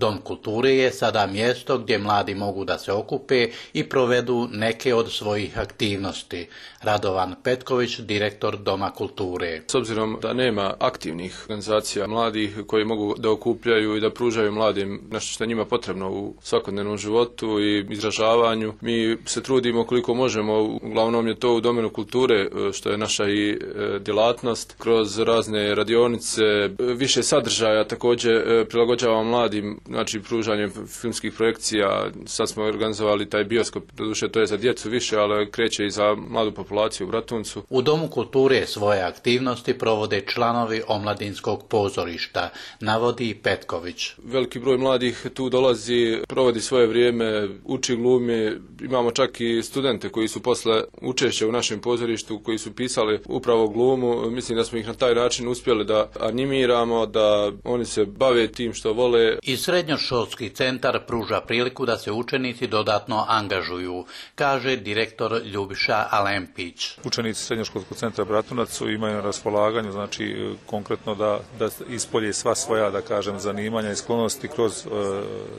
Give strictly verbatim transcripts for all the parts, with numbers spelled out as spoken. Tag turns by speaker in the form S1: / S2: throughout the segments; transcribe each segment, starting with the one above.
S1: Dom kulture je sada mjesto gdje mladi mogu da se okupe i provedu neke od svojih aktivnosti. Radovan Petković, direktor Doma kulture.
S2: S obzirom da nema aktivnih organizacija mladih koji mogu da okupljaju i da pružaju mladim nešto što je njima potrebno u svakodnevnom životu i izražavanju, mi se trudimo koliko možemo, uglavnom je to u domenu kulture, što je naša i djelatnost, kroz razne radionice, više sadržaja također prilagođavamo mladim, znači pružanjem filmskih projekcija. Sad smo organizovali taj bioskop, doduše to je za djecu više, ali kreće i za mladu populaciju u Bratuncu.
S1: U Domu kulture svoje aktivnosti provode članovi omladinskog pozorišta, navodi Petković.
S2: Veliki broj mladih tu dolazi, provodi svoje vrijeme, uči glumi, imamo čak i studente koji su posle učešća u našem pozorištu, koji su pisali upravo glumu. Mislim da smo ih na taj način uspjeli da animiramo, da oni se bave tim što vole.
S1: I srednjoškolski centar pruža priliku da se učenici dodatno angažuju, kaže direktor Ljubiša Alempić.
S3: Učenici srednjoškolskog centra Bratunac imaju na raspolaganju, znači konkretno da, da ispolje sva svoja, da kažem, zanimanja i sklonosti kroz e,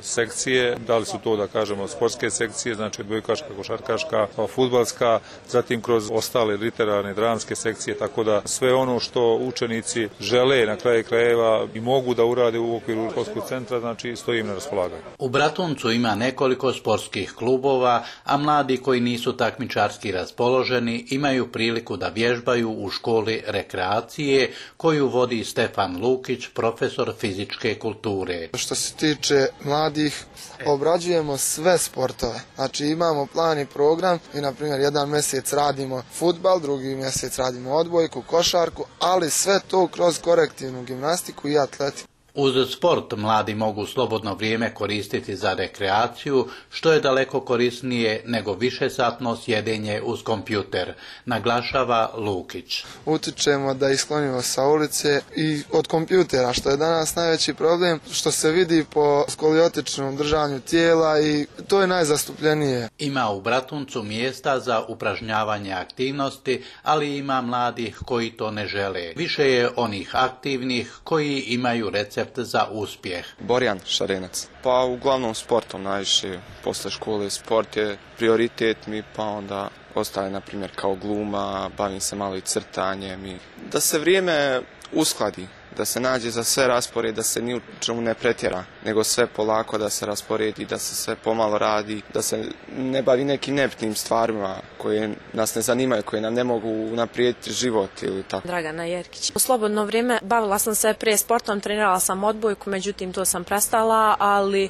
S3: sekcije. Da li su to, da kažemo, sportske sekcije, znači odbojkaška, košarkaška, fudbalska, zatim kroz ostale literarne, dramske sekcije, tako da sve ono što učenici žele na kraju krajeva i mogu da urade u okviru školskog centra, znači stoji im na raspolaganju.
S1: U Bratuncu ima nekoliko sportskih klubova, a mladi koji nisu takmičarski raspoloženi imaju priliku da vježbaju u školi rekreacije koju vodi Stefan Lukić, profesor fizičke kulture.
S4: Što se tiče mladih, obrađujemo sve sportove. Znači imamo plan i program i na primjer jedan mjesec radimo fudbal, drugi mjesec radimo odbojku, košarku, ali sve to kroz korektivnu gimnastiku i atletiku.
S1: Uz sport mladi mogu slobodno vrijeme koristiti za rekreaciju, što je daleko korisnije nego višesatno sjedenje uz kompjuter, naglašava Lukić.
S4: Utičemo da ih sklonimo sa ulice i od kompjutera, što je danas najveći problem, što se vidi po skoliotičnom držanju tijela i to je najzastupljenije.
S1: Ima u Bratuncu mjesta za upražnjavanje aktivnosti, ali ima mladih koji to ne žele. Više je onih aktivnih koji imaju recept za uspjeh.
S5: Borjan Šarenac. Pa uglavnom sportom najviše, posle škole sport je prioritet mi, pa onda ostale na primjer kao gluma, bavim se malo i crtanjem i da se vrijeme uskladi, da se nađe za sve raspored, da se ni u čemu ne pretjera, nego sve polako da se rasporedi, da se sve pomalo radi, da se ne bavi nekim nebitnim stvarima koje nas ne zanimaju, koje nam ne mogu unaprijediti život ili tako.
S6: Dragana Jerkić. U slobodno vrijeme bavila sam se prije sportom, trenirala sam odbojku, međutim to sam prestala, ali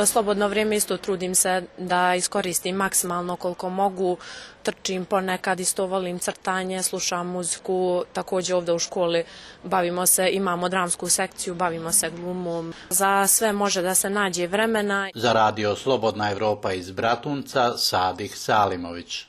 S6: slobodno vrijeme isto trudim se da iskoristim maksimalno koliko mogu. Trčim ponekad, isto volim crtanje, slušam muziku, također ovdje u školi bavimo se, imamo dramsku sekciju, bavimo se glumom. Za sve može da se nađe vremena.
S1: Za radio Slobodna Evropa iz Bratunca, Sadih Salimović.